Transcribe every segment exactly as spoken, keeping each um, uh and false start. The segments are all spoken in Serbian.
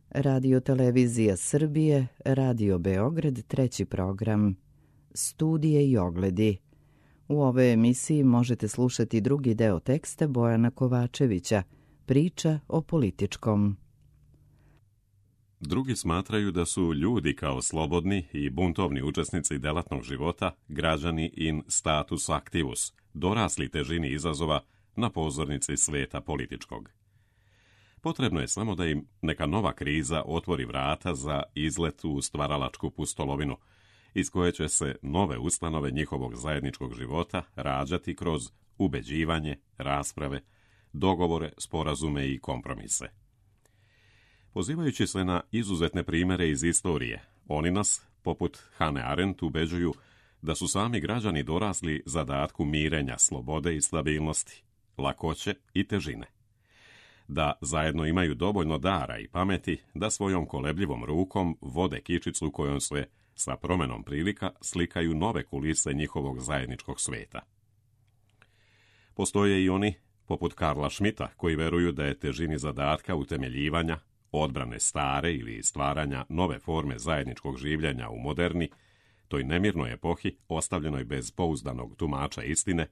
Radio Televizija Srbije, Radio Beograd, treći program, Studije i ogledi. U ovoj emisiji možete slušati drugi deo teksta Bojana Kovačevića, Priča o političkom. Drugi smatraju da su ljudi kao slobodni i buntovni učesnici delatnog života, građani in status activus, dorasli težini izazova na pozornici sveta političkog. Potrebno je samo da im neka nova kriza otvori vrata za izlet u stvaralačku pustolovinu, iz koje će se nove ustanove njihovog zajedničkog života rađati kroz ubeđivanje, rasprave, dogovore, sporazume i kompromise. Pozivajući se na izuzetne primere iz istorije, oni nas, poput Hannah Arendt, ubeđuju da su sami građani dorasli zadatku mirenja, slobode i stabilnosti, lakoće i težine. Da zajedno imaju dovoljno dara i pameti da svojom kolebljivom rukom vode kičicu kojom se sa promenom prilika slikaju nove kulise njihovog zajedničkog sveta. Postoje i oni, poput Karla Schmidta, koji veruju da je težini zadatka utemeljivanja, odbrane stare ili stvaranja nove forme zajedničkog življenja u moderni, toj nemirnoj epohi, ostavljenoj bez pouzdanog tumača istine,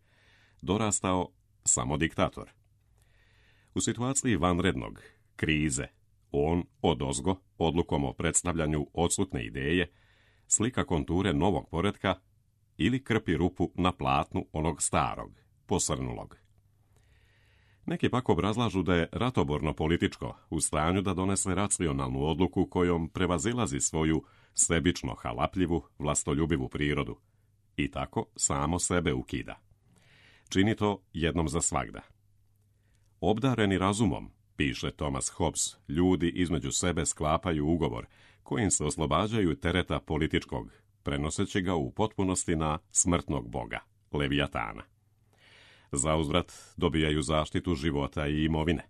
dorastao samo diktator. U situaciji vanrednog, krize, on odozgo, odlukom o predstavljanju odsutne ideje, slika konture novog poretka ili krpi rupu na platnu onog starog, posrnulog. Neki pak obrazlažu da je ratoborno političko u stanju da donese racionalnu odluku kojom prevazilazi svoju sebično halapljivu, vlastoljubivu prirodu i tako samo sebe ukida. Čini to jednom za svagda. Obdareni razumom, piše Thomas Hobbes, ljudi između sebe sklapaju ugovor kojim se oslobađaju tereta političkog, prenoseći ga u potpunosti na smrtnog boga, Levijatana. Zauzvrat dobijaju zaštitu života i imovine.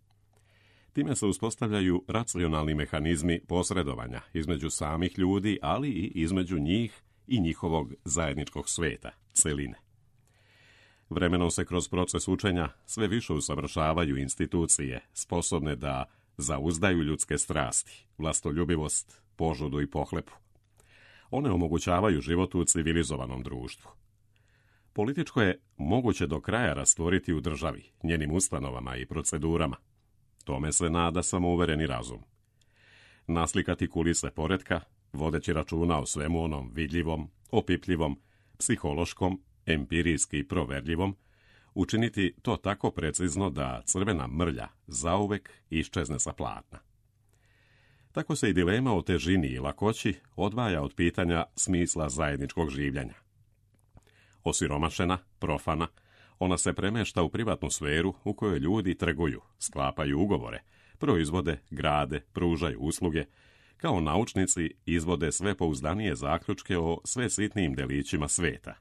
Time se uspostavljaju racionalni mehanizmi posredovanja između samih ljudi, ali i između njih i njihovog zajedničkog sveta, celine. Vremenom se kroz proces učenja sve više usavršavaju institucije sposobne da zauzdaju ljudske strasti, vlastoljubivost, požudu i pohlepu. One omogućavaju život u civilizovanom društvu. Političko je moguće do kraja rastvoriti u državi, njenim ustanovama i procedurama. Tome se nada samouvereni razum. Naslikati kulise poretka, vodeći računa o svemu onom vidljivom, opipljivom, psihološkom, empirijski proverljivom, učiniti to tako precizno da crvena mrlja zauvek iščezne sa platna. Tako se i dilema o težini i lakoći odvaja od pitanja smisla zajedničkog življenja. Osiromašena, profana, ona se premešta u privatnu sferu u kojoj ljudi trguju, sklapaju ugovore, proizvode, grade, pružaju usluge, kao naučnici izvode sve pouzdanije zaključke o sve sitnijim delićima sveta.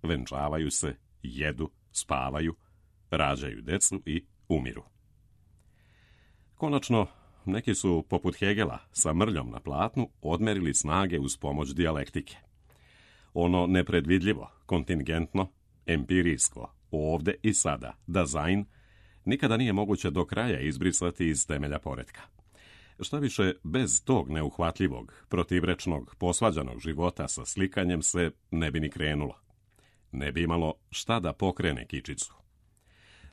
Venčavaju se, jedu, spavaju, rađaju decu i umiru. Konačno, neki su, poput Hegela, sa mrljom na platnu odmerili snage uz pomoć dijalektike. Ono nepredvidljivo, kontingentno, empirijsko, ovde i sada, dazajn, nikada nije moguće do kraja izbrisati iz temelja poretka. Šta više, bez tog neuhvatljivog, protivrečnog, posvađanog života sa slikanjem se ne bi ni krenulo. Ne bi imalo šta da pokrene kičicu.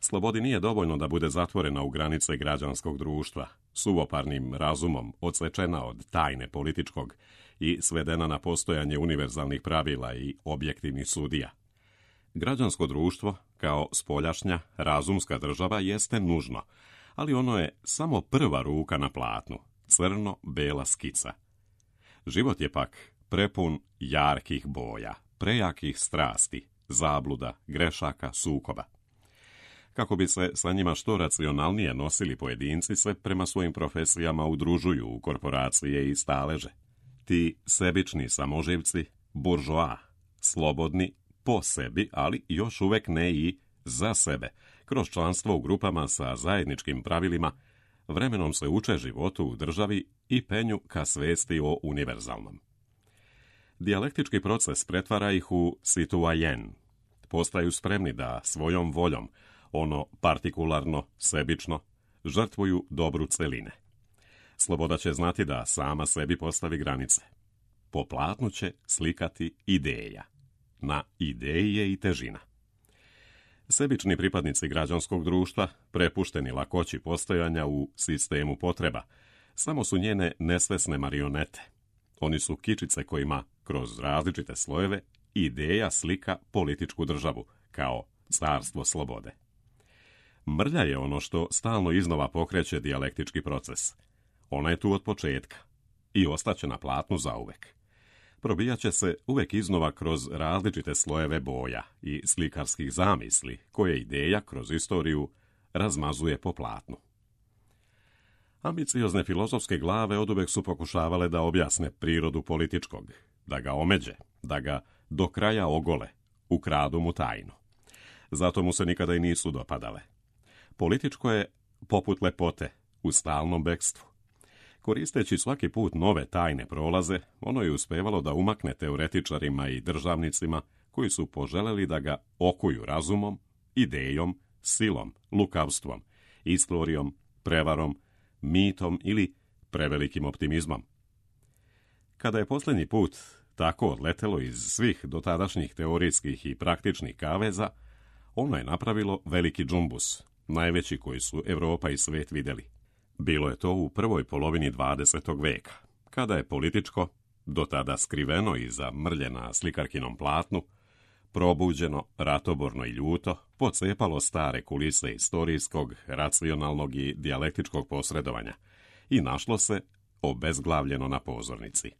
Slobodi nije dovoljno da bude zatvorena u granice građanskog društva, suvoparnim razumom odsečena od tajne političkog i svedena na postojanje univerzalnih pravila i objektivnih sudija. Građansko društvo, kao spoljašnja, razumska država, jeste nužno, ali ono je samo prva ruka na platnu, crno-bela skica. Život je pak prepun jarkih boja, prejakih strasti, zabluda, grešaka, sukoba. Kako bi se sa njima što racionalnije nosili pojedinci, se prema svojim profesijama udružuju u korporacije i staleže. Ti sebični samoživci, buržoa, slobodni po sebi, ali još uvek ne i za sebe, kroz članstvo u grupama sa zajedničkim pravilima, vremenom se uče životu u državi i penju ka svesti o univerzalnom. Dijalektički proces pretvara ih u citoyen. Postaju spremni da svojom voljom, ono partikularno, sebično, žrtvuju dobru celine. Sloboda će znati da sama sebi postavi granice. Po platnu će slikati ideja. Na ideji je i težina. Sebični pripadnici građanskog društva, prepušteni lakoći postojanja u sistemu potreba, samo su njene nesvesne marionete. Oni su kičice kojima, kroz različite slojeve, ideja slika političku državu, kao carstvo slobode. Mrlja je ono što stalno iznova pokreće dijalektički proces. Ona je tu od početka i ostaće na platnu zauvek. Probijaće se uvek iznova kroz različite slojeve boja i slikarskih zamisli, koje ideja kroz istoriju razmazuje po platnu. Ambiciozne filozofske glave oduvek su pokušavale da objasne prirodu političkog, da ga omeđe, da ga do kraja ogole, ukradu mu tajnu. Zato mu se nikada i nisu dopadale. Političko je poput lepote, u stalnom bekstvu. Koristeći svaki put nove tajne prolaze, ono je uspevalo da umakne teoretičarima i državnicima koji su poželeli da ga okuju razumom, idejom, silom, lukavstvom, istorijom, prevarom, mitom ili prevelikim optimizmom. Kada je posljednji put tako odletelo iz svih dotadašnjih teorijskih i praktičnih kaveza, ono je napravilo veliki džumbus, najveći koji su Evropa i svet vidjeli. Bilo je to u prvoj polovini dvadesetog veka, kada je političko, do tada skriveno iza mrlje na slikarkinom platnu, probuđeno, ratoborno i ljuto, pocepalo stare kulise istorijskog, racionalnog i dijalektičkog posredovanja i našlo se obezglavljeno na pozornici.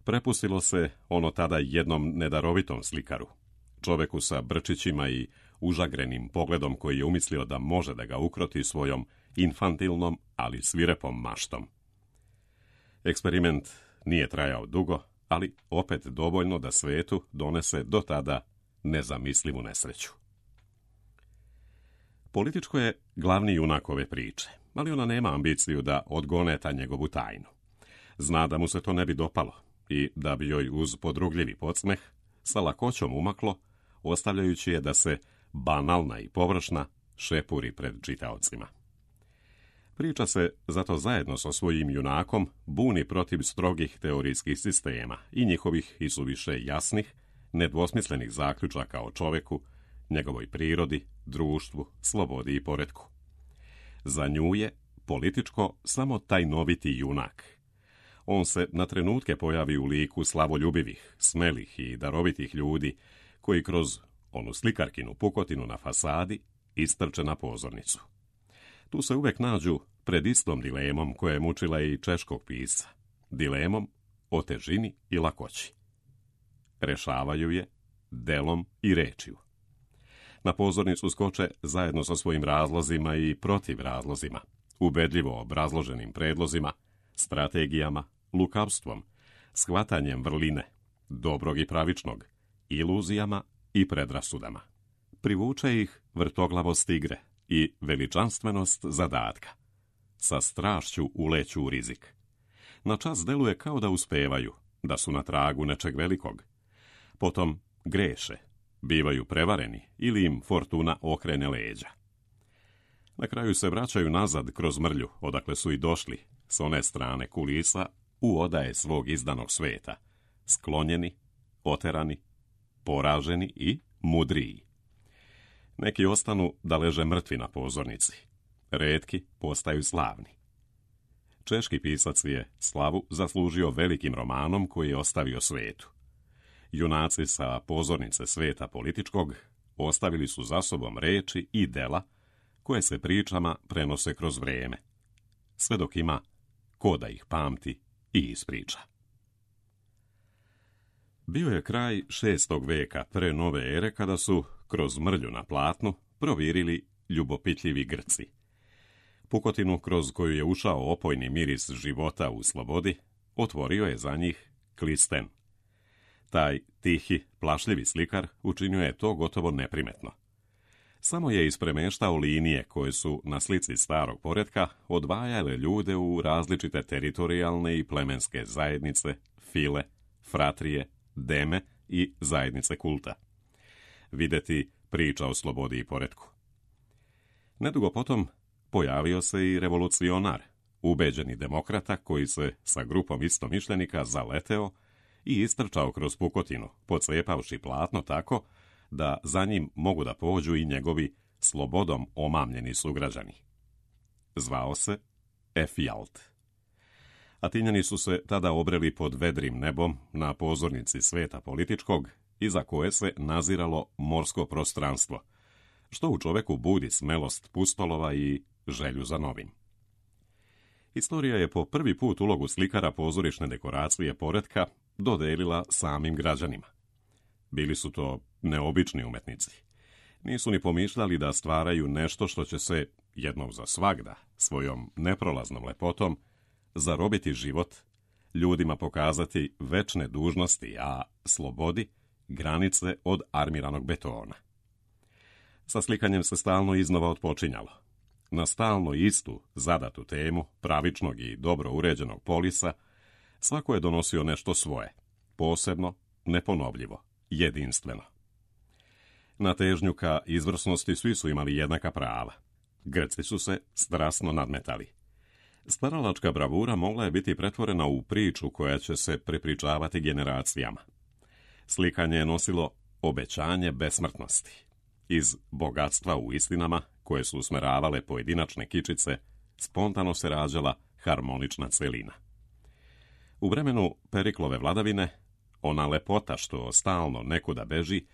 Prepustilo se ono tada jednom nedarovitom slikaru, čoveku sa brčićima i užagrenim pogledom koji je umislio da može da ga ukroti svojom infantilnom, ali svirepom maštom. Eksperiment nije trajao dugo, ali opet dovoljno da svetu donese do tada nezamislivu nesreću. Političko je glavni junak ove priče, ali ona nema ambiciju da odgoneta njegovu tajnu. Zna da mu se to ne bi dopalo i da bi joj uz podrugljivi podsmeh sa lakoćom umaklo, ostavljajući je da se banalna i površna šepuri pred čitaocima. Priča se zato zajedno sa svojim junakom buni protiv strogih teorijskih sistema i njihovih isuviše jasnih, nedvosmislenih zaključaka o čoveku, njegovoj prirodi, društvu, slobodi i poretku. Za nju je političko samo tajnoviti junak. On se na trenutke pojavi u liku slavoljubivih, smelih i darovitih ljudi koji kroz onu slikarkinu pukotinu na fasadi istrče na pozornicu. Tu se uvek nađu pred istom dilemom koja je mučila i češkog pisca, dilemom o težini i lakoći. Rešavaju je delom i rečju. Na pozornicu skoče zajedno sa svojim razlozima i protiv razlozima, ubedljivo obrazloženim predlozima, strategijama, lukavstvom, shvatanjem vrline, dobrog i pravičnog, iluzijama i predrasudama. Privuče ih vrtoglavost igre i veličanstvenost zadatka. Sa strašću uleću u rizik. Na čas deluje kao da uspevaju, da su na tragu nečeg velikog. Potom greše, bivaju prevareni ili im fortuna okrene leđa. Na kraju se vraćaju nazad kroz mrlju, odakle su i došli, s one strane kulisa, u odaje svog izdanog sveta, sklonjeni, oterani, poraženi i mudriji. Neki ostanu da leže mrtvi na pozornici. Retki postaju slavni. Češki pisac je slavu zaslužio velikim romanom koji je ostavio svetu. Junaci sa pozornice sveta političkog ostavili su za sobom reči i dela koje se pričama prenose kroz vrijeme, sve dok ima ko da ih pamti i ispriča. Bio je kraj šestog veka pre nove ere kada su, kroz mrlju na platnu, provirili ljubopitljivi Grci. Pukotinu kroz koju je ušao opojni miris života u slobodi, otvorio je za njih Klisten. Taj tihi, plašljivi slikar učinio je to gotovo neprimetno. Samo je ispremeštao linije koje su na slici starog poretka odvajale ljude u različite teritorijalne i plemenske zajednice, file, fratrije, deme i zajednice kulta. Videti priča o slobodi i poretku. Nedugo potom pojavio se i revolucionar, ubeđeni demokrata koji se sa grupom istomišljenika zaleteo i istrčao kroz pukotinu, pocijepavši platno tako da za njim mogu da pođu i njegovi slobodom omamljeni sugrađani. Zvao se Efjalt. Atinjani su se tada obreli pod vedrim nebom na pozornici sveta političkog, iza koje se naziralo morsko prostranstvo, što u čoveku budi smelost pustolova i želju za novim. Istorija je po prvi put ulogu slikara pozorišne dekoracije poretka dodelila samim građanima. Bili su to neobični umetnici. Nisu ni pomišljali da stvaraju nešto što će se, jednom za svagda, svojom neprolaznom lepotom, zarobiti život, ljudima pokazati večne dužnosti, a slobodi granice od armiranog betona. Sa slikanjem se stalno iznova otpočinjalo. Na stalno istu zadatu temu pravičnog i dobro uređenog polisa svako je donosio nešto svoje, posebno, neponovljivo, jedinstveno. Na težnju ka izvrsnosti svi su imali jednaka prava. Grci su se strasno nadmetali. Stvaralačka bravura mogla je biti pretvorena u priču koja će se prepričavati generacijama. Slikanje je nosilo obećanje besmrtnosti. Iz bogatstva u istinama, koje su usmeravale pojedinačne kičice, spontano se rađala harmonična celina. U vremenu Periklove vladavine, ona lepota što stalno nekuda beži,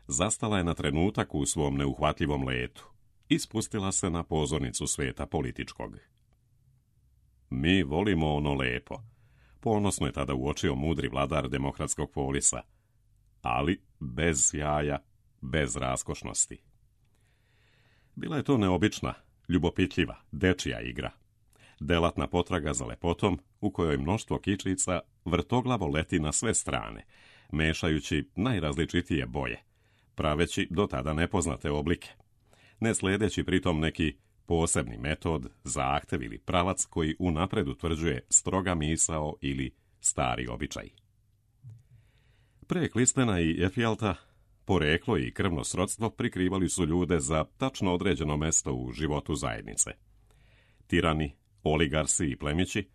zastala je na trenutak u svom neuhvatljivom letu i spustila se na pozornicu sveta političkog. Mi volimo ono lepo, ponosno je tada uočio mudri vladar demokratskog polisa, ali bez sjaja, bez raskošnosti. Bila je to neobična, ljubopitljiva, dečija igra. Delatna potraga za lepotom u kojoj mnoštvo kičica vrtoglavo leti na sve strane, mešajući najrazličitije boje, praveći do tada nepoznate oblike, ne sledeći pritom neki posebni metod, zahtev ili pravac koji unapred utvrđuje stroga misao ili stari običaj. Pre Klistena i Efjalta poreklo i krvno srodstvo prikrivali su ljude za tačno određeno mesto u životu zajednice. Tirani, oligarsi i plemići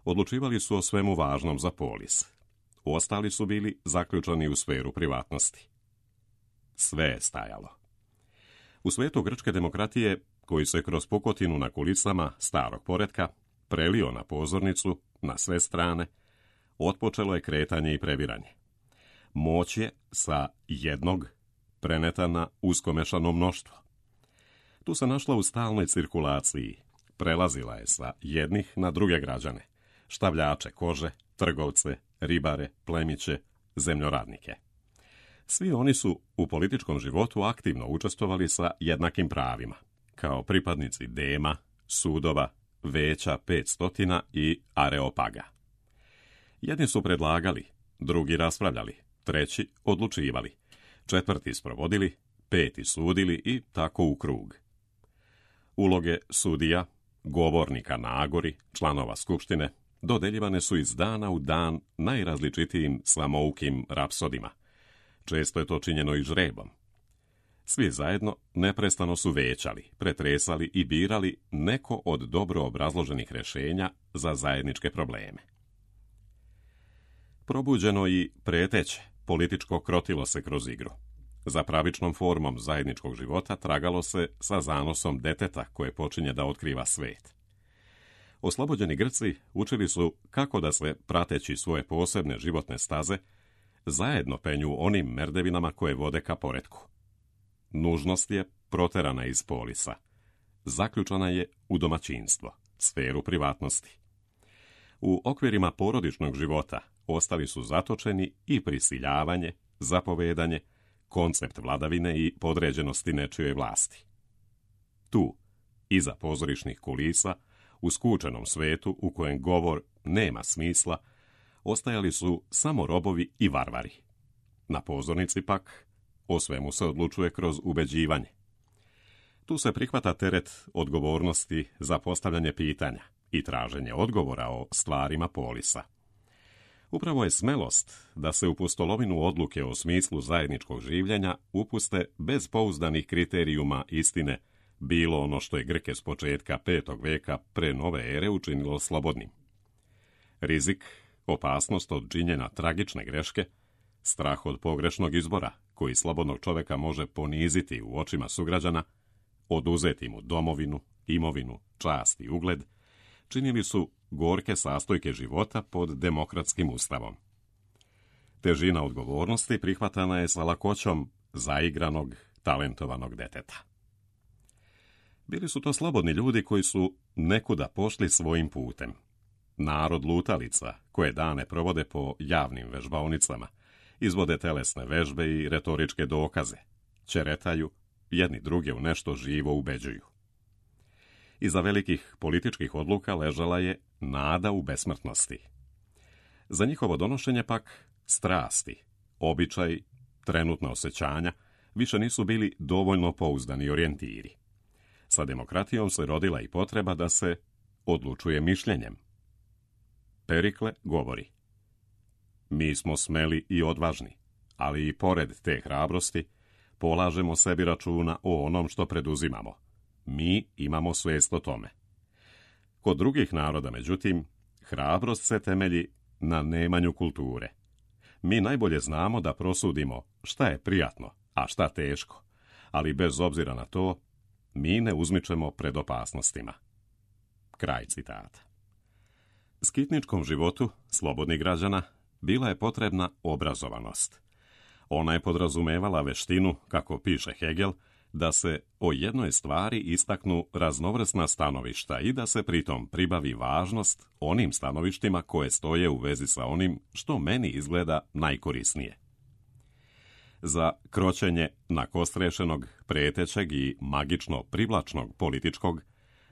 odlučivali su o svemu važnom za polis. Ostali su bili zaključani u sferu privatnosti. Sve je stajalo. U svetu grčke demokratije, koji se kroz pukotinu na kulisama starog poretka prelio na pozornicu, na sve strane, otpočelo je kretanje i previranje. Moć je sa jednog preneta na uskomešano mnoštvo. Tu se našla u stalnoj cirkulaciji, prelazila je sa jednih na druge građane, štavljače kože, trgovce, ribare, plemiće, zemljoradnike. Svi oni su u političkom životu aktivno učestvovali sa jednakim pravima, kao pripadnici dema, sudova, veća petstotina i areopaga. Jedni su predlagali, drugi raspravljali, treći odlučivali, četvrti sprovodili, peti sudili i tako u krug. Uloge sudija, govornika na agori, članova skupštine, dodeljivane su iz dana u dan najrazličitijim samoukim rapsodima. Često je to činjeno i žrebom. Svi zajedno neprestano su većali, pretresali i birali neko od dobro obrazloženih rješenja za zajedničke probleme. Probuđeno i preteće, političko krotilo se kroz igru. Za pravičnom formom zajedničkog života tragalo se sa zanosom deteta koje počinje da otkriva svet. Oslobođeni Grci učili su kako da se, prateći svoje posebne životne staze, zajedno penju onim merdevinama koje vode ka poretku. Nužnost je proterana iz polisa. Zaključana je u domaćinstvo, sferu privatnosti. U okvirima porodičnog života ostali su zatočeni i prisiljavanje, zapovedanje, koncept vladavine i podređenosti nečijoj vlasti. Tu, iza pozorišnih kulisa, u skučenom svetu u kojem govor nema smisla, ostajali su samo robovi i varvari. Na pozornici pak o svemu se odlučuje kroz ubeđivanje. Tu se prihvata teret odgovornosti za postavljanje pitanja i traženje odgovora o stvarima polisa. Upravo je smelost da se u pustolovinu odluke o smislu zajedničkog življenja upuste bez pouzdanih kriterijuma istine bilo ono što je Grke s početka petog veka pre nove ere učinilo slobodnim. Rizik, opasnost od činjenja tragične greške, strah od pogrešnog izbora koji slobodnog čoveka može poniziti u očima sugrađana, oduzeti mu domovinu, imovinu, čast i ugled, činili su gorke sastojke života pod demokratskim ustavom. Težina odgovornosti prihvatana je sa lakoćom zaigranog, talentovanog deteta. Bili su to slobodni ljudi koji su nekuda pošli svojim putem. Narod lutalica, koje dane provode po javnim vežbaonicama, izvode telesne vežbe i retoričke dokaze, ćeretaju, jedni druge u nešto živo ubeđuju. Iza velikih političkih odluka ležala je nada u besmrtnosti. Za njihovo donošenje pak strasti, običaj, trenutna osjećanja više nisu bili dovoljno pouzdani orijentiri. Sa demokratijom se rodila i potreba da se odlučuje mišljenjem. Perikle govori: mi smo smeli i odvažni, ali i pored te hrabrosti polažemo sebi računa o onom što preduzimamo. Mi imamo svijest o tome. Kod drugih naroda, međutim, hrabrost se temelji na nemanju kulture. Mi najbolje znamo da prosudimo šta je prijatno, a šta teško, ali bez obzira na to, mi ne uzmičemo pred opasnostima. Kraj citata. Skitničkom životu slobodnih građana bila je potrebna obrazovanost. Ona je podrazumevala veštinu, kako piše Hegel, da se o jednoj stvari istaknu raznovrsna stanovišta i da se pritom pribavi važnost onim stanovištima koje stoje u vezi sa onim što meni izgleda najkorisnije. Za kroćenje nakostrešenog, pretećeg i magično privlačnog političkog,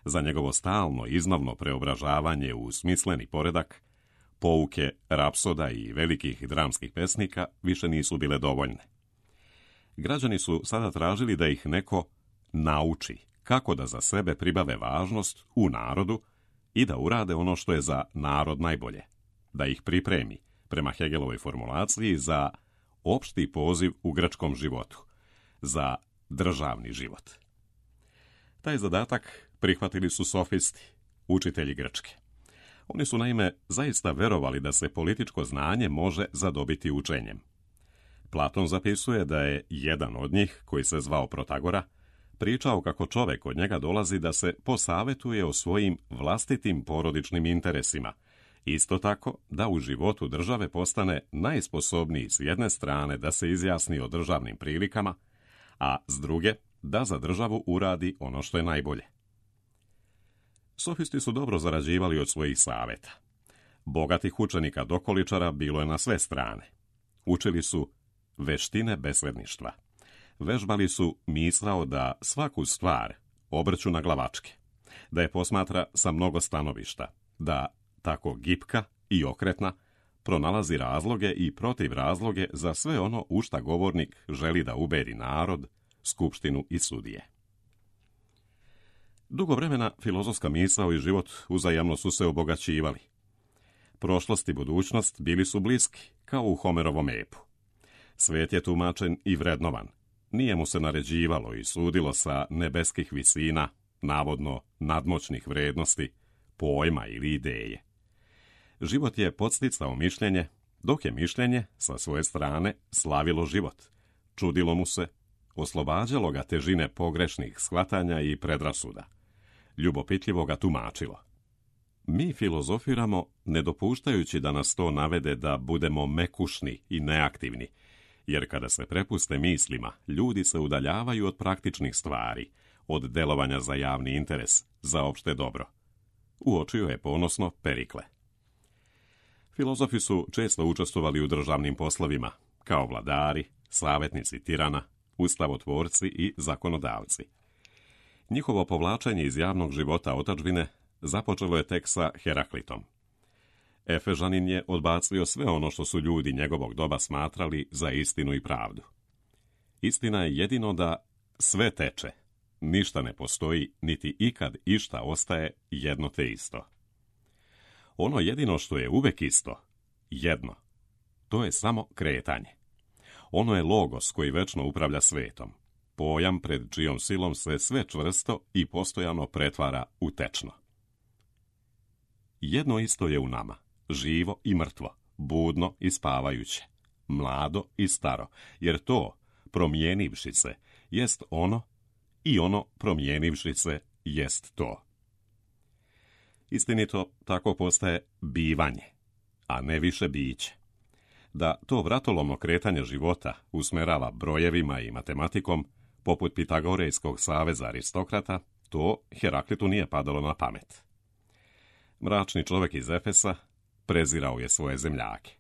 za njegovo stalno iznavno preobražavanje u smisleni poredak, pouke rapsoda i velikih dramskih pesnika više nisu bile dovoljne. Građani su sada tražili da ih neko nauči kako da za sebe pribave važnost u narodu i da urade ono što je za narod najbolje, da ih pripremi, prema Hegelovoj formulaciji, za opšti poziv u grčkom životu, za državni život. Taj zadatak prihvatili su sofisti, učitelji grčke. Oni su naime zaista verovali da se političko znanje može zadobiti učenjem. Platon zapisuje da je jedan od njih, koji se zvao Protagora, pričao kako čovek od njega dolazi da se posavetuje o svojim vlastitim porodičnim interesima, isto tako da u životu države postane najsposobniji s jedne strane da se izjasni o državnim prilikama, a s druge da za državu uradi ono što je najbolje. Sofisti su dobro zarađivali od svojih saveta. Bogatih učenika dokoličara bilo je na sve strane. Učili su veštine besledništva. Vežbali su misao da svaku stvar obrću na glavačke, da je posmatra sa mnogo stanovišta, da tako gipka i okretna pronalazi razloge i protiv razloge za sve ono u šta govornik želi da ubedi narod, skupštinu i sudije. Dugo vremena filozofska misao i život uzajamno su se obogaćivali. Prošlost i budućnost bili su bliski, kao u Homerovom epu. Svet je tumačen i vrednovan. Nije mu se naređivalo i sudilo sa nebeskih visina, navodno nadmoćnih vrednosti, pojma ili ideje. Život je podsticao mišljenje, dok je mišljenje, sa svoje strane, slavilo život. Čudilo mu se, oslobađalo ga težine pogrešnih shvatanja i predrasuda. Ljubopitljivo ga tumačilo. Mi filozofiramo, ne dopuštajući da nas to navede da budemo mekušni i neaktivni, jer kada se prepuste mislima, ljudi se udaljavaju od praktičnih stvari, od delovanja za javni interes, za opšte dobro. Uočio je ponosno Perikle. Filozofi su često učestvovali u državnim poslovima, kao vladari, savjetnici tirana, ustavotvorci i zakonodavci. Njihovo povlačenje iz javnog života otadžbine započelo je tek sa Heraklitom. Efežanin je odbacio sve ono što su ljudi njegovog doba smatrali za istinu i pravdu. Istina je jedino da sve teče, ništa ne postoji, niti ikad išta ostaje jedno te isto. Ono jedino što je uvek isto, jedno, to je samo kretanje. Ono je logos koji večno upravlja svetom. pojam pred čijom silom se sve čvrsto i postojano pretvara u tečno. Jedno isto je u nama, živo i mrtvo, budno i spavajuće, mlado i staro, jer to, promijenivši se, jest ono i ono, promijenivši se, jest to. Istinito, tako postaje bivanje, a ne više biće. Da to vratolomno kretanje života usmerava brojevima i matematikom, poput Pitagorejskog saveza aristokrata, to Heraklitu nije padalo na pamet. Mračni čovjek iz Efesa prezirao je svoje zemljake.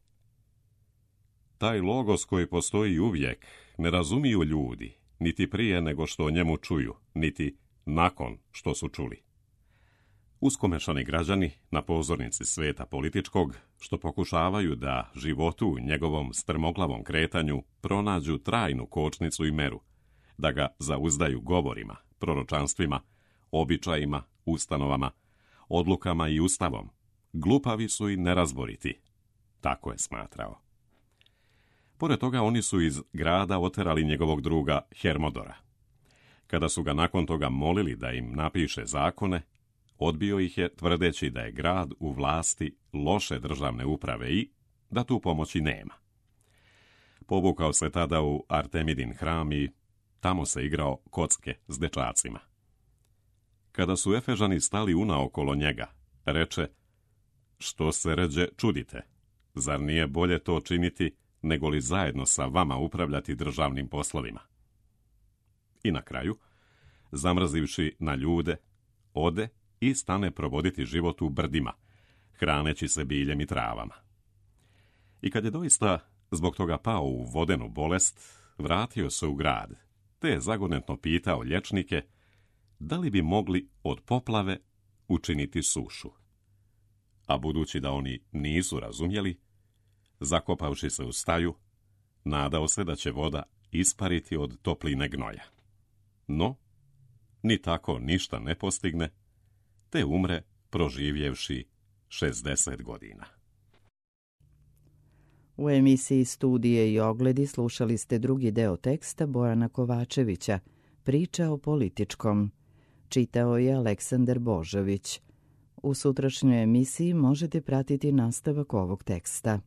Taj logos koji postoji uvijek ne razumiju ljudi, niti prije nego što o njemu čuju, niti nakon što su čuli. Uskomešani građani na pozornici sveta političkog, što pokušavaju da životu u njegovom strmoglavom kretanju pronađu trajnu kočnicu i meru, da ga zauzdaju govorima, proročanstvima, običajima, ustanovama, odlukama i ustavom, glupavi su i nerazboriti, tako je smatrao. Pored toga oni su iz grada oterali njegovog druga Hermodora. Kada su ga nakon toga molili da im napiše zakone, odbio ih je tvrdeći da je grad u vlasti loše državne uprave i da tu pomoći nema. Povukao se tada u Artemidin hram i tamo se igrao kocke s dečacima. Kada su Efežani stali unaokolo njega, reče: "Što se ređe čudite? Zar nije bolje to činiti nego li zajedno sa vama upravljati državnim poslovima?" I na kraju, zamrzivši na ljude, ode i stane provoditi život u brdima, hraneći se biljem i travama. I kad je doista zbog toga pao u vodenu bolest, vratio se u grad, te je zagonetno pitao liječnike da li bi mogli od poplave učiniti sušu. A budući da oni nisu razumjeli, zakopavši se u staju, nadao se da će voda ispariti od topline gnoja. No, ni tako ništa ne postigne, te umre proživjevši šezdeset godina. U emisiji Studije i ogledi slušali ste drugi deo teksta Bojana Kovačevića, Priča o političkom. Čitao je Aleksandar Božović. U sutrašnjoj emisiji možete pratiti nastavak ovog teksta.